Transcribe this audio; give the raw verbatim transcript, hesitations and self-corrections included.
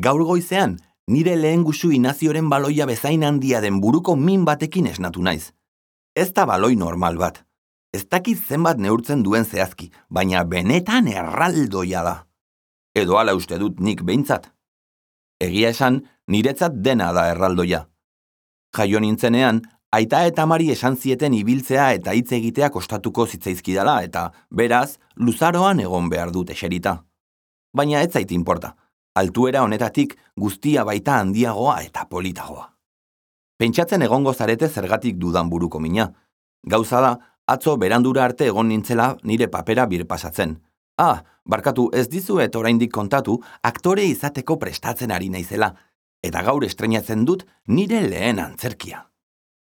Gaur goizean, nire lehen gusu Inazioren baloia bezain handia den buruko min batekin esnatu naiz. Ez da baloi normal bat. Ez dakit zenbat neurtzen duen zehazki, baina benetan erraldoia da. Edo hala uste dut nik behintzat. Egia esan, niretzat dena da erraldoia. Jaio nintzenean, aita eta amari esan zieten ibiltzea eta hitz egitea kostatuko zitzaizkidala eta, beraz, luzaroan egon behar dut eserita. Baina ez zait inporta. Altuera honetatik guztia baita handiagoa eta politagoa. Pentsatzen egongo zarete zergatik dudan buruko mina. Gauza da, atzo berandura arte egon nintzela nire papera birpasatzen. Ah, barkatu ez dizuet oraindik kontatu, aktore izateko prestatzen ari naizela, eta gaur estreinatzen dut nire lehen antzerkia.